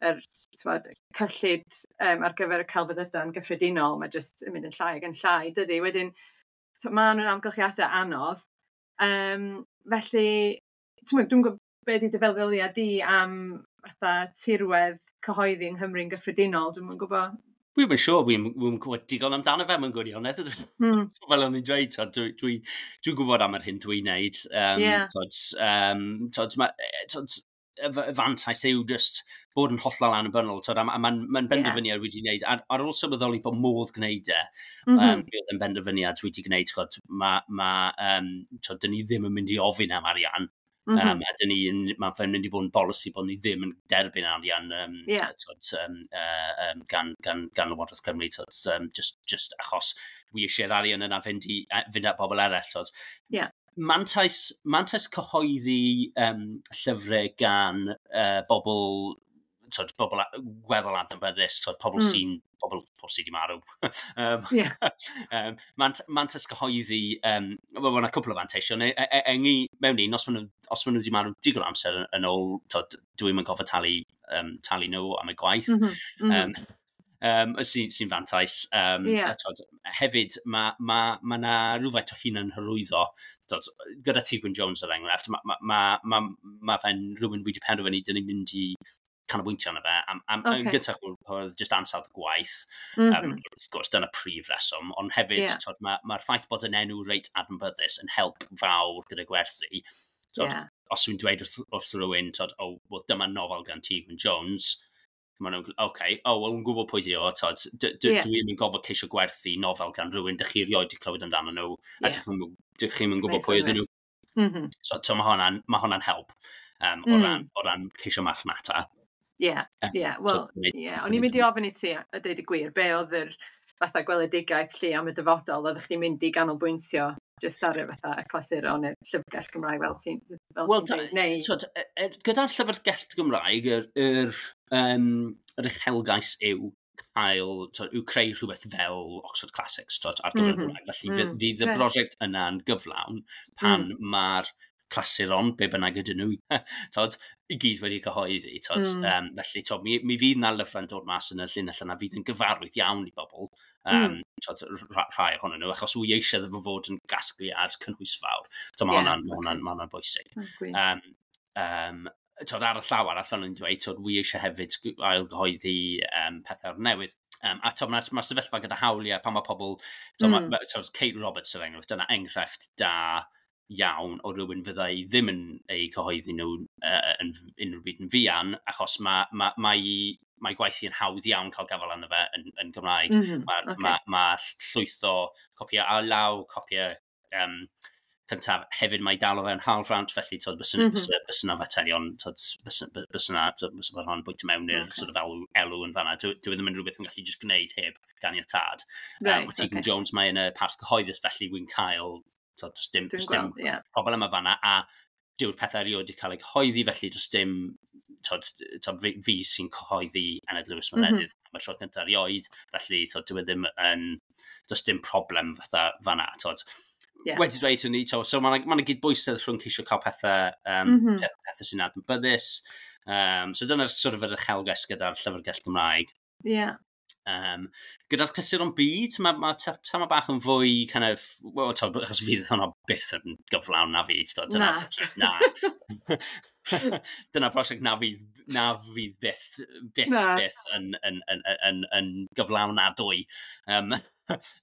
yr, t'mod, cyllid ar gyfer y celfyddydau yn gyffredinol, mae jyst yn mynd yn llai ac yn llai, dydy. Wedyn, ma' nhw'n amgylchiadau anodd. Felly, t'mod, dwi'n gwybod be 'di dy feddwyliad di am fatha tirwedd cyhoeddi yng Nghymru'n gyffredinol, dwi'm yn gwybod. Dwi'm yn siŵr, dwi'm yn gwybod digon amdano fe mewn gwirionedd. Fel o'n i'n dweud, tod, dwi'n gwybod am yr hyn dwi'n neud. Tod, tod, ma, tod, y fantais yw just bod yn hollol annibynnol, tod, a ma'n benderfyniad wedi wneud, ar ôl sylweddoli bod modd gwneud e, mi oedd yn benderfyniad wedi gwneud, tod, ma, tod, dyn ni ddim yn mynd i ofyn am arian. A dyn ni, mae'n fe'n mynd i bod yn bolisi bod ni ddim yn derbyn arian tod, gan Lywodraeth Cymru, tod, just achos wi eisiau'r arian yna fynd at bobl eraill. Tod. Mantais cyhoeddi llyfrau gan bobl, tod, bobl gweddol adnabyddus, tod, pobl pobl sydd wedi marw. Mantais cyhoeddi, wel, mae yna cwpl o fanteision. Mewn un, os ma nhw wedi marw digon o amser yn ôl, tod, dwi'm yn gorfod talu nhw am eu gwaith. Sy'n fantais. A, tod, hefyd, mae ma, ma na rhywfaint o hunan hyrwyddo. Tod, gyda Ti Gwyn Jones er enghraifft, mae ma fe'n rhywun wedi penderfynu dyn ni'n mynd i canolbwyntio arno fe. Yn gyntaf, oedd just ansawdd y gwaith. Wrth gwrs, dyna prif reswm. Ond hefyd, tod, ma ffaith bod yn enw reit adnabyddus yn help fawr gyda gwerthu. Tod, os dwi'n dweud wrth rhywun, tod, "Oh, well, dyma nofel gan Ti Gwyn Jones," maen nhw'n, "Okay, oh, wel, yn gwybod pwy di o," tod, "Dwi'n yn gorfod ceisio gwerthu nofel gan rhywun dych chi erioed wedi clywed amdano nhw, a dych chi'm yn gwybod Neud pwy ydyn synnwyr. nhw." So ma hwnna'n help o ran ceisio marchnata. Ie, wel, ie, o'n i'n mynd i ofyn i ti, a deud y gwir, be oedd yr fatha gweledigaeth lle am y dyfodol, oeddech chdi'n mynd i ganolbwyntio jyst ar y fatha y clasuron neu'r llyfrgell Gymraeg fel Wel, ti'n dweud, neu? Tod, gyda'r llyfrgell Gymraeg, yr uchelgais yw cael, tod, yw creu rhywbeth fel Oxford Classics, tod, ar gyfer y Gymraeg. Felly fydd y brosiect yna'n gyflawn pan mae'r clasuron, be bynnag ydyn nhw, tod, i gyd wedi cyhoeddi. Tod, felly, tod, mi fydd na lyfrau'n dod mas yn y llinell yna fydd yn gyfarwydd iawn i bobl, tod, rhai ohonyn nhw, achos wy eisiau iddo fo fod yn gasgliad cynhwysfawr. So, mae hwnna'n bwysig. Oh, gwych. Tod, ar y llaw arall, fel o'n i'n dweud, tod, wy eisiau hefyd ail gyhoeddi pethau o'r newydd. A tod, mae'r sefyllfa gyda hawliau, pan mae pobl, tod, tod, Kate Roberts er enghraifft, dyna enghraifft da iawn o rywun fyddai ddim yn eu cyhoeddi nhw yn unrhyw byd yn fuan, achos mae gwaith hi yn hawdd iawn cael gafael arno fe yn Gymraeg. Mae ma llwyth o copiau ar law, copiau cyntaf. Hefyd mae dal o fewn hawlfraint, felly tod, bysa 'na faterion, tod, bysa bod hwnna'n bwyta mewn i'r sort of elw yn fanna. Dwi ddim yn rhywbeth yn gallu just gwneud heb ganiatâd. Mae Tegan Jones, mae yn y parth cyhoeddus, felly wy'n cael, tod, does dim, Dwi'n does dim gweld, ie. problem yma fanna, a dyw'r pethau erioed wedi cael eu cyhoeddi, felly does dim, tod, tod, fi sy'n cyhoeddi Enid Lewis Meredydd am y tro cyntaf erioed, felly tod, dyw e ddim yn, does dim problem fatha fanna, tod. Wedi dweud hynny, tod, so mae 'na gydbwysedd rhwng ceisio cael pethau, pethau sy'n adnabyddus. So dyna'r sort of yr uchelgais gyda'r llyfrgell Gymraeg. Gyda'r clasuron byd, mae ma bach yn fwy kind of, well, tod, achos fydd hwnna byth yn gyflawn na fydd. Tod, dyna, Na. prosiect na. Dyna prosiect na fydd byth, byth, Na. byth yn gyflawnadwy.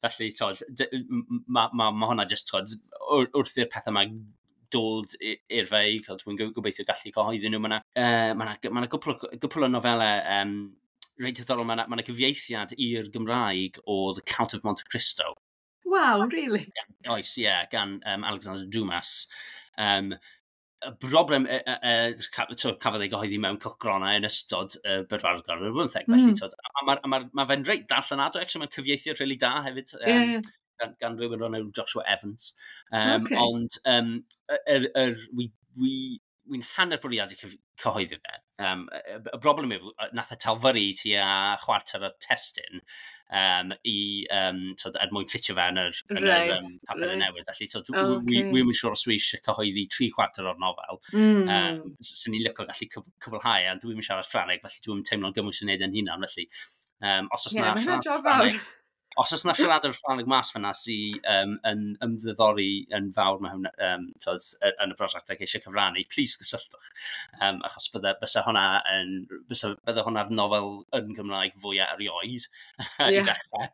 Felly, tod, ma hwnna just, tod, wrth i'r pethau yma dod i'r fei, dwi'n gobeithio gallu cyhoeddi nhw. Mae yna ma gwpl o nofelau reit diddorol, mae yna gyfieithiad i'r Gymraeg o The Count of Monte Cristo. Wow, really? Oes, ie, yeah, gan Alexander Dumas. Y broblem, cafodd ei gyhoeddi mewn cylchgronau yn ystod y bedwaredd ganrif ar bymtheg, felly, tod, a ma fe'n reit ddarllenadwy, actually, mae'n cyfieithiad really da hefyd, gan rhywun o'r enw Joshua Evans. Ond wi'n hanner bwriadu cyhoeddi fe. Y broblem yw, nath e talfyru tua chwarter o'r testun tod, er mwyn ffitio fe yn yr papur newydd. Felly, tod, wi'm yn siŵr os dwi eisiau cyhoeddi 3/4 o'r nofel. Swn i'n licio gallu cwblhau, a dwi'm yn siarad Ffrangeg, felly dwi'm yn teimlo'n gymwys i wneud yn hunan. Felly, os oes Ie, na mae hwnna'n siarad job fawr. Ffrangeg, os oes na siaradwr Ffrangeg mas fyna sy'n yn ymddiddori yn fawr mewn, tod, yn y prosiect ac eisiau cyfrannu, please gysylltwch. Achos bydde hwnna'r nofel yn Gymraeg fwyaf erioed i ddechrau.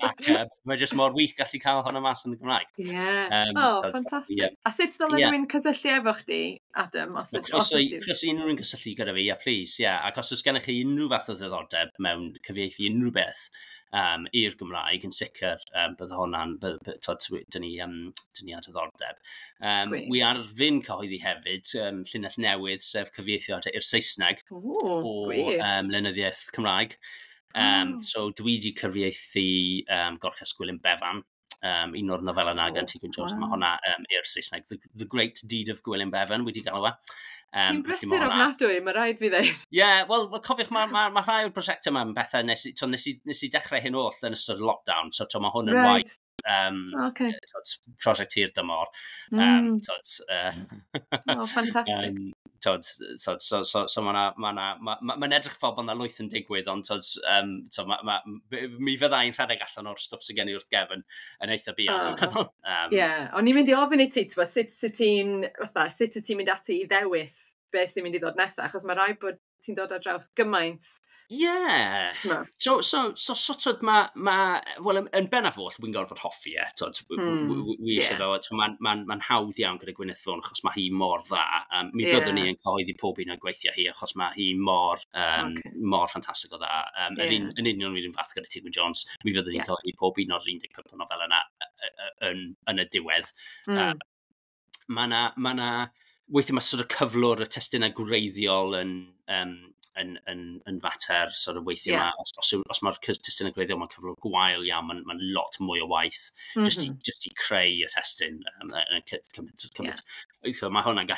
Ac mae jyst mor wych gallu cael hwnna mas yn y Gymraeg. Oh, Tod, ffantastig. Ie. A sut ddylen rhywun cysylltu efo chdi Adam? Os, os croeso i unrhyw un gysylltu gyda fi, yeah, please, yeah. Ac os oes gennych chi unrhyw fath o ddiddordeb mewn cyfieithu unrhyw beth i'r Gymraeg, yn sicr, bydde hwnna'n, dyn ni ar diddordeb. Wi ar fin cyhoeddi hefyd, llinell newydd, sef cyfieithiad i'r Saesneg o lenyddiaeth Cymraeg. So dwi wedi cyfieithu Gorchest Gwilym Bevan, un o'r nofelau yna gan T. Jones. Mae hwnna i'r Saesneg, The Great Deed of Gwilym Bevan, wedi galw e. Ti'n brysur ofnadwy, mae rhaid fi ddeud. Ie, yeah, wel, cofiwch, mae rhai o'r prosiectau yma yn bethau, nes i dechrau hyn oll yn ystod y lockdown, so mae hwn yn waith prosiect hir dymor. Oh, fantastic. Tod, so ma edrych fel bod yna lwyth yn digwydd, ond tod, so, mi fyddai'n rhedeg allan o'r stwff sydd gen i wrth gefn yn eitha buan. Ie, o'n i'n mynd i ofyn i ti, sut wyt ti'n mynd ati i ddewis beth sy'n mynd i ddod nesaf, achos mae rhaid bod ti'n dod ar draws gymaint. Ie. Yeah. No. So sort of well, yn bennaf oll, wy'n gorfod hoffi e. Tod, wi eisiau fo, ma hawdd iawn gyda Gwyneth Vaughan, achos mae hi mor dda. Mi fyddwn ni yn cyhoeddi pob un o'r gweithiau hi, achos mae hi mor ffantastig o dda. Yn union yr un fath gyda T. Jones, mi fyddwn ni'n cyhoeddi pob un o'r 15 nofel yna yn y diwedd. Mae na, weithiau mae sort of cyflwr y testunau gwreiddiol yn fater, sort of weithiau os mae'r testunau gwreiddiol mae'n cyflwr gwael iawn, mae'n lot mwy o waith just i creu y testun. Cymryd. Mae hwnna'n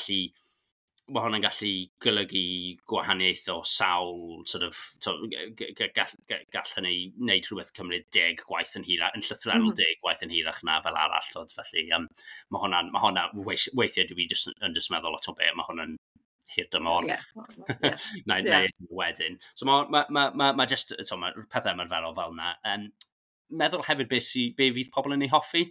gallu golygu gwahaniaeth o sawl, sort of, to, gall hynny wneud rhywbeth cymryd 10 gwaith yn hirach, yn llythrennol 10 gwaith yn hirach na fel arall, tod, felly mae hwnna, weithiau dwi just, yn just meddwl lot o be, mae hwnna'n hir dymor. Na wedyn. So ma just, so, mae pethau ymarferol fel yna. Meddwl hefyd be fydd pobl yn ei hoffi.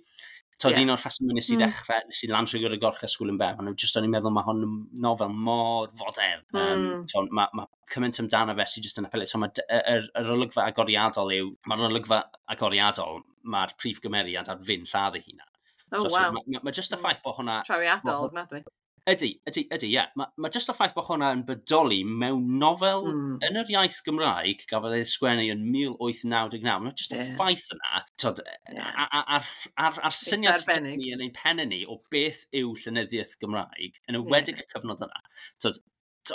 Tod, un o'r rhesymau nes i ddechrau, nes i lansio gyda Gorchest Gwilym Bevan, just o'n i'n meddwl mae hwn yn nofel mor fodern. Mae cymaint amdano fe sy'n just yn apelio. So mae yr olygfa agoriadol yw, mae'r olygfa agoriadol, mae'r prif gymeriad ar fin lladd ei hunan. Oh, so, wow. So, ma just y ffaith bod hwnna. Trawiadol, ofnadwy. Ydy, ie. Ma just y ffaith bod hwnna yn bodoli mewn nofel yn yr iaith Gymraeg gafodd ei sgwennu yn 1899. Mae'n just y ffaith yna, tod, a'r syniad sydd ni yn ein pen ni o beth yw llenyddiaeth Gymraeg, yn enwedig y cyfnod yna. Tod,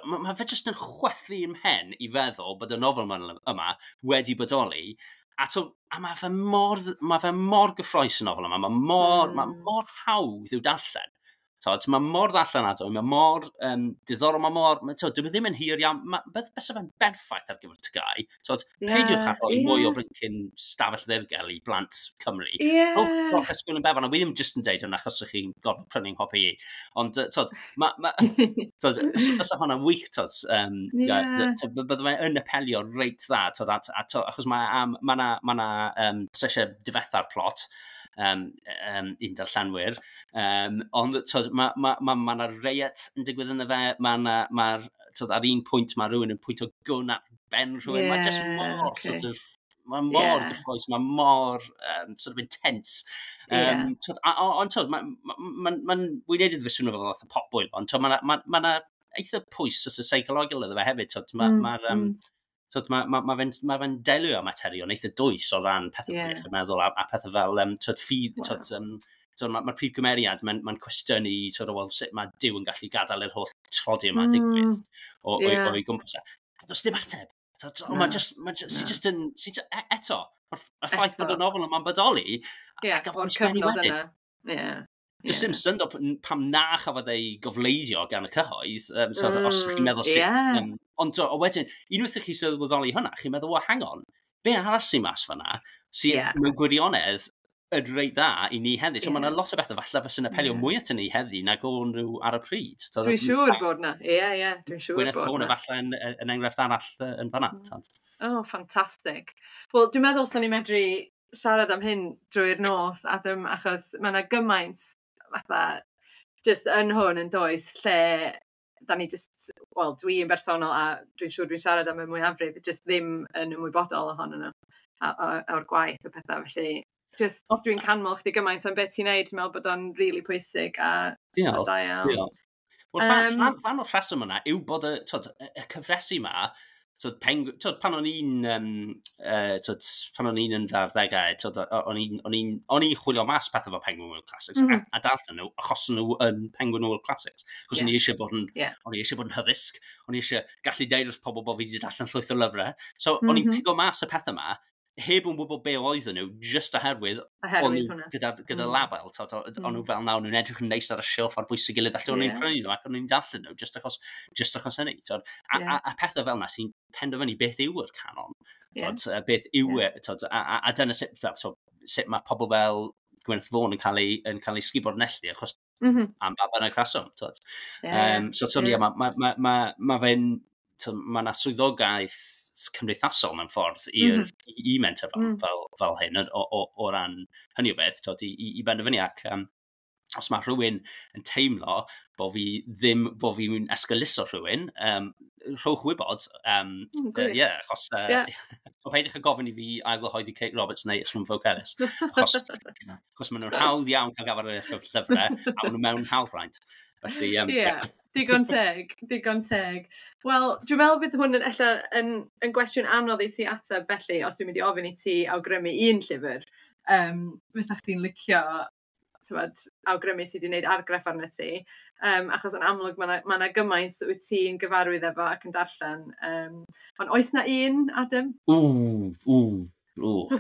ma fe just yn chwethu ym mhen i feddwl bod y nofel yma wedi bodoli. A mae fe mor gyffrous y nofel yma, mae mor hawdd i'w darllen. Tod, mae mor ddarllenadwy, mae mor diddorol, mae mor. Tod, dyw e ddim yn hir iawn, bysa fe'n berffaith ar gyfer TGAU. Tod, peidiwch â rhoi mwy o blincyn stafell ddirgel i blant Cymru. Rhowch Gwilym Bevan, a wi ddim just yn deud hwnna achos ych chi'n gorfod prynu'n nghopi i. Ond, tod, tod, bysa hwnna'n wych, tod, bydde fe yn apelio reit dda, tod, a, achos ma na, eisiau difetha'r plot, un darllenwyr. Ond tod, ma na riot yn digwydd yna fe, tod, ar un pwynt mae rhywun yn pwynt o gwn at ben rhywun. Mae just mor sort of, mae mor gyffrous, mae mor sort of intense. Tod, ond tod, wy'n neud iddo fe swnio fel fath o potbwyll, ond tod, mae ma eitha pwys sort of seicologol iddo fe hefyd. Tod, ma, tod, ma fe'n delio â materion eitha dwys o ran pethau iechyd meddwl a pethau fel tod, ffydd, tod, so mae'r prif gymeriad, mae'n cwestiynu sort of, well, sut mae Duw yn gallu gadael yr holl tlodi yma digwydd o'i gwmpas e. A does dim ateb. So, mae just, ma just, sy just yn, sy just, eto, mae'r ffaith bod y nofel yma'n bodoli, a gafodd ei sgwennu wedyn. Does dim syndod pam na chafodd ei gofleidio gan y cyhoedd, so, os chi'n meddwl sut. Ond o wedyn, unwaith i chi sylweddoli hwnna, chi'n meddwl, well, hang on, be arall sy'n mas fanna, sy'n mewn gwirionedd yn reit dda i ni heddi. So mae yna lot o bethau falle fysa'n apelio mwy at ni heddi nag o'n nhw ar y pryd. So, dwi'n siŵr bod na. Ie, dwi'n siŵr Gwyneth bod Vaughan na. Falle yn enghraifft arall yn fanna. Oh, ffantastig. Wel, dwi'n meddwl sa'n ni medru siarad am hyn drwy'r nos, Adam, achos mae yna gymaint fatha just yn hwn yn does, lle da ni just, wel, dwi yn bersonol a dwi'n siŵr dwi'n siarad am y mwyafrif, just ddim yn ymwybodol ohonyn nhw o'r gwaith a pethau, felly just dwi'n canmol chdi gymaint am beth ti'n neud, dwi'n meddwl bod o'n really pwysig a Diolch. da iawn. Diolch. Wel, rhan o'r rheswm yna yw bod y cyfresi yma, pan o'n i'n pan o'n i'n yn fy arddegau, o'n i'n chwilio mas pethau fel Penguin World Classics a darllen nhw, achos nhw yn Penguin World Classics. Achos o'n i eisiau bod yn, o'n i eisiau bod yn hyddysg, o'n i eisiau gallu deud wrth pobl bod fi wedi darllen llwyth o lyfrau. So o'n i'n pigo mas y pethau yma, heb yn gwybod be oedden nhw, just oherwydd o'n nhw gyda label, o'n nhw fel 'na, o'n nhw'n edrych yn neis ar y silff ar bwys ei gilydd, felly o'n i'n prynu nhw ac o'n i'n darllen nhw, just achos hynny. A pethau fel 'na sy'n penderfynu beth yw'r canon, beth yw e, a dyna sut mae pobl fel Gwyneth Vaughan yn cael ei sgubo'r neilltu, achos am ba bynnag rheswm. So, mae fe'n, mae yna swyddogaeth cymdeithasol mewn ffordd i menter fel hyn o ran hynny o beth, i benderfynu ac os mae rhywun yn teimlo bod fi ddim, bod fi'n esgeuluso rhywun, rhowch wybod, yeah, achos o peidiwch â gofyn i fi ailgyhoeddi Kate Roberts neu Ystlum Ffowc Elis, achos maen nhw'n hawdd iawn cael gafael ar y llyfrau, a maen nhw mewn hawlfraint. Felly, yeah. Digon teg, digon teg. Wel, dwi'n meddwl bydd hwn yn, ella, yn gwestiwn anodd i ti ateb felly, os dwi'n mynd i ofyn i ti awgrymu un llyfr, fysa chdi'n licio, tywed, awgrymu sydd wedi gwneud argraff arno ti. Achos yn amlwg mae yna ma gymaint wyt ti'n gyfarwydd efo ac yn darllen. Ond oes na un, Adam? Ww, ww. Ww,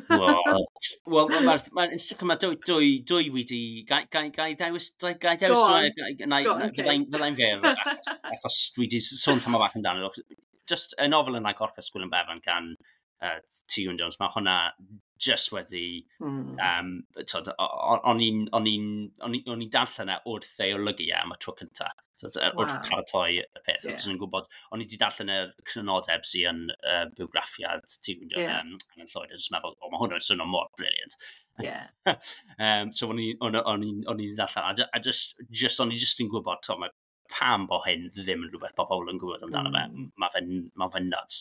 wel, mae'n ma, sicr mae dwy wedi. Gai dewis dwy? Fyddai'n fyr, achos dwi wedi sôn tam bach amdano. Just y nofel yna, Gorchest Gwilym Bevan gan T. Jones, mae hwnna just wedi. O'n i'n darllen e wrth ei olygu e am y tro cyntaf. So, wrth paratoi y peth. O'n i'n gwybod, o'n i wedi darllen y crynodeb sy'n yn bywgraffiad T. Yn Llwyd, a jyst meddwl, "O, mae hwn yn swnio mor brilliant." So o'n i'n darllen, a just, o'n i just yn gwybod, to, mae pam bo hyn ddim yn rhywbeth bod pobl yn gwybod amdano fe. Mae fe nuts.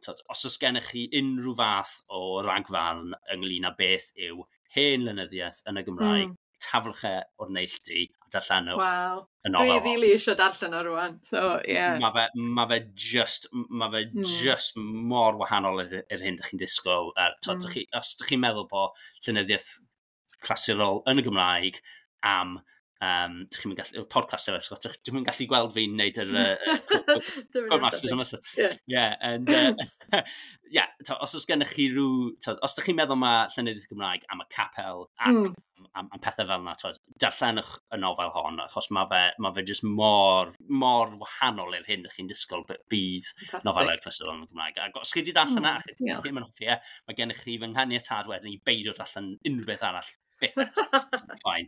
Tod, os oes gennych chi unrhyw fath o ragfarn ynglyn â beth yw hen lenyddiaeth yn y Gymraeg, taflwch e o'r neilltu a darllenwch y nofel. Dwi really eisiau darllen o rwan. So, yeah. Mae fe just mor wahanol i'r hyn ydych chi'n disgwyl. Tod, os ydych chi'n meddwl bod llenyddiaeth clasurol yn y Gymraeg am dych chi'n gallu, podcast efo, Scott, dwi'n gallu gweld fi'n neud yr Masters yma. Yeah, and, yeah, to, os oes gennych chi rhyw, to, os ydych chi'n meddwl mae llenyddiaeth Gymraeg am y capel ac am pethau fel yna, to, darllenwch y nofel hon, achos mae fe just mor, mor wahanol i'r hyn ydych chi'n disgwyl bydd nofelau clasurol yn y Gymraeg. Ac os chi wedi darllen mm, a chi ddim yn hoffi e, mae gennych chi fy nghaniatâd wedyn i beidio darllen unrhyw beth arall byth eto. Fine.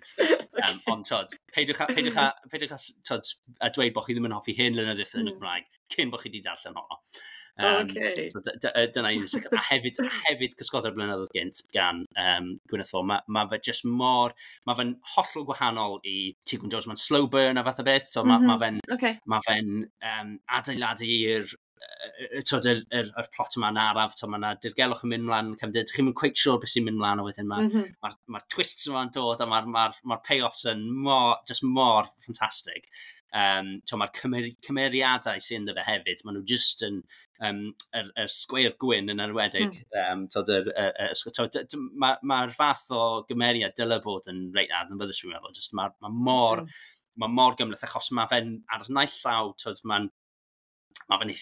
Ond, tod, peidiwch â, tod, a dweud bod chi ddim yn hoffi hen lenyddiaeth yn y Gymraeg cyn bod chi wedi darllen honno. So, dyna un sicr. A hefyd Cysgodau'r Blynyddoedd Gynt gan Gwyneth Vaughan. Ma fe just mor, mae fe'n hollol gwahanol i T. Gwyn Jones. Mae'n slow burn a fath o beth. So, ma fe'n adeiladu i'r tod, yr plot yma'n araf, mae yna dirgelwch yn mynd mlaen, cefndir, chi'n mynd quite sure beth sy'n mynd mlaen, a wedyn mae'r ma twists yma'n dod, a mae'r ma payoffs yn mor, just mor ffantastig. Mae'r cymeriadau sy'n ynddo fe hefyd, maen nhw just yn, yr sgweir gwyn yn enwedig. Tod, yr, tod, ma fath o gymeriad dyle bod yn reit adnabyddus, dwi'n meddwl. Just ma mor gymhleth, achos mae fe'n ar naill llaw, tod, mae fe'n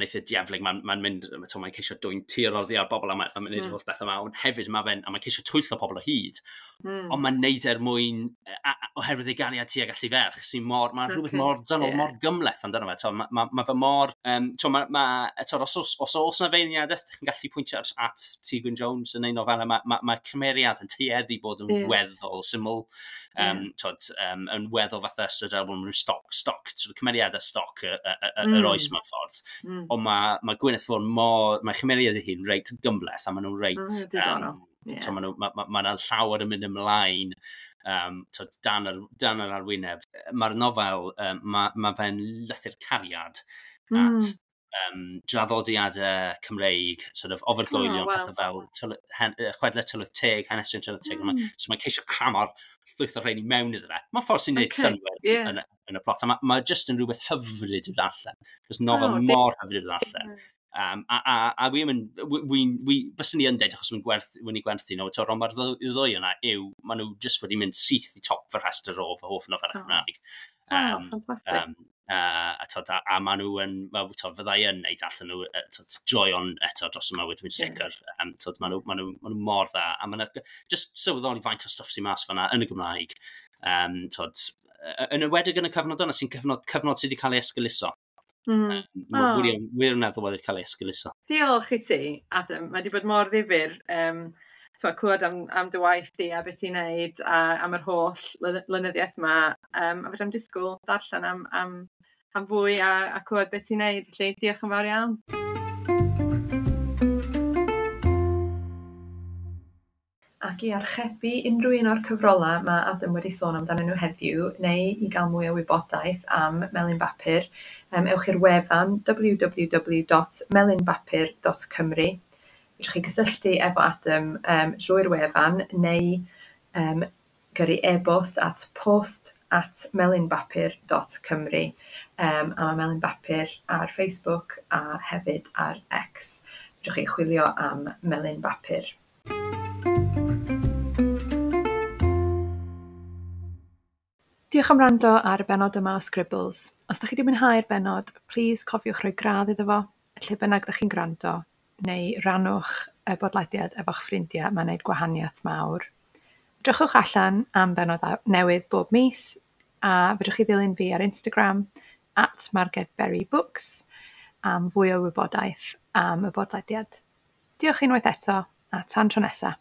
eitha dieflig, mae'n ma mynd, mae'n ceisio dwyn tir oddi ar bobl a mae'n ma mynd holl beth yma, ond hefyd mae fe'n, a mae'n ceisio twyllo pobl o hyd, ond mae'n neud er mwyn, oherwydd ei gariad tuag at ei ferch, sy'n mor, mae'n rhywbeth mor dynol, mor gymhleth amdano fe, ma fe mor, to, ma, eto, os oes na feirniadaeth, chi'n gallu pwyntio at T. Gwyn Jones yn ein nofelau, ma cymeriad yn tueddu bod yn weddol syml, tod, yn weddol fatha Ystod Elbwn, maen nhw'n stoc, tod, cymeriadau stoc yr oes mewn ffordd. Ond ma Gwyneth Vaughan mor, mae chymeriad ei hun reit gymhleth, a maen nhw'n reit, to, maen nhw, ma 'na llawer yn mynd ymlaen tod, dan yr arwyneb. Mae'r nofel, ma fe'n lythyr cariad at Draddodiadau Cymreig, sort of ofergoelion, pethau fel chwedlau tylwyth teg, hanesion tylwyth teg. So mae'n ceisio cramo'r llwyth o'r rheini mewn iddo fe. Mae'n ffordd sy'n gwneud synnwyr yn y plot. A mae just yn rhywbeth hyfryd i'w ddarllen. Just nofel mor hyfryd i'w ddarllen. A wi yn, wi, fyswn i yn deud, achos mae'n wedi gwerthu nhw, ond mae'r ddwy yna yw, maen nhw just wedi mynd syth i top fy rhestr o fy hoff nofelau Cymraeg. Oh, fantastic. A maen nhw yn, well, tod, fyddai yn neud allan nhw, tod, joio'n eto dros y mywyd, dwi'n sicr. Tod, maen nhw mor dda. A maen nhw, just sylweddoli faint o stwff sy'n mas fanna yn y Gymraeg. Tod, yn enwedig yn y cyfnod yna, sy'n cyfnod sydd wedi cael ei esgeuluso. Wirioneddol wedi cael ei esgeuluso. Diolch i ti, Adam. Mae wedi bod mor ddifyr clywed am dy waith di a beth ti'n neud a am yr holl lenyddiaeth yma. A fedra i'm disgwyl darllen am fwy a clywed beth ti'n neud. Felly diolch yn fawr iawn. Ac i archebu unrhyw un o'r cyfrolau mae Adam wedi sôn amdanyn nhw heddiw, neu i gael mwy o wybodaeth am Melin Bapur, ewch i'r wefan www.melinbapur.cymru. Fedrwch chi gysylltu efo Adam drwy'r wefan neu gyrru e-bost at post@melinbapur.cymru. A mae Melin Bapur ar Facebook a hefyd ar X. Fedrwch chi chwilio am Melin Bapur. Diolch am wrando ar y bennod yma o Scribbles. Os ydych chi wedi mwynhau'r bennod, plis cofiwch rhoi gradd iddo fo, lle bynnag ydych chi'n gwrando, neu rannwch y bodlediad efo'ch ffrindiau, mae'n gwneud gwahaniaeth mawr. Drychwch allan am bennod newydd bob mis, a fedrwch chi ddilyn fi ar Instagram, @MargedBerryBooks, am fwy o wybodaeth am y bodlediad. Diolch unwaith eto, a tan tro nesa.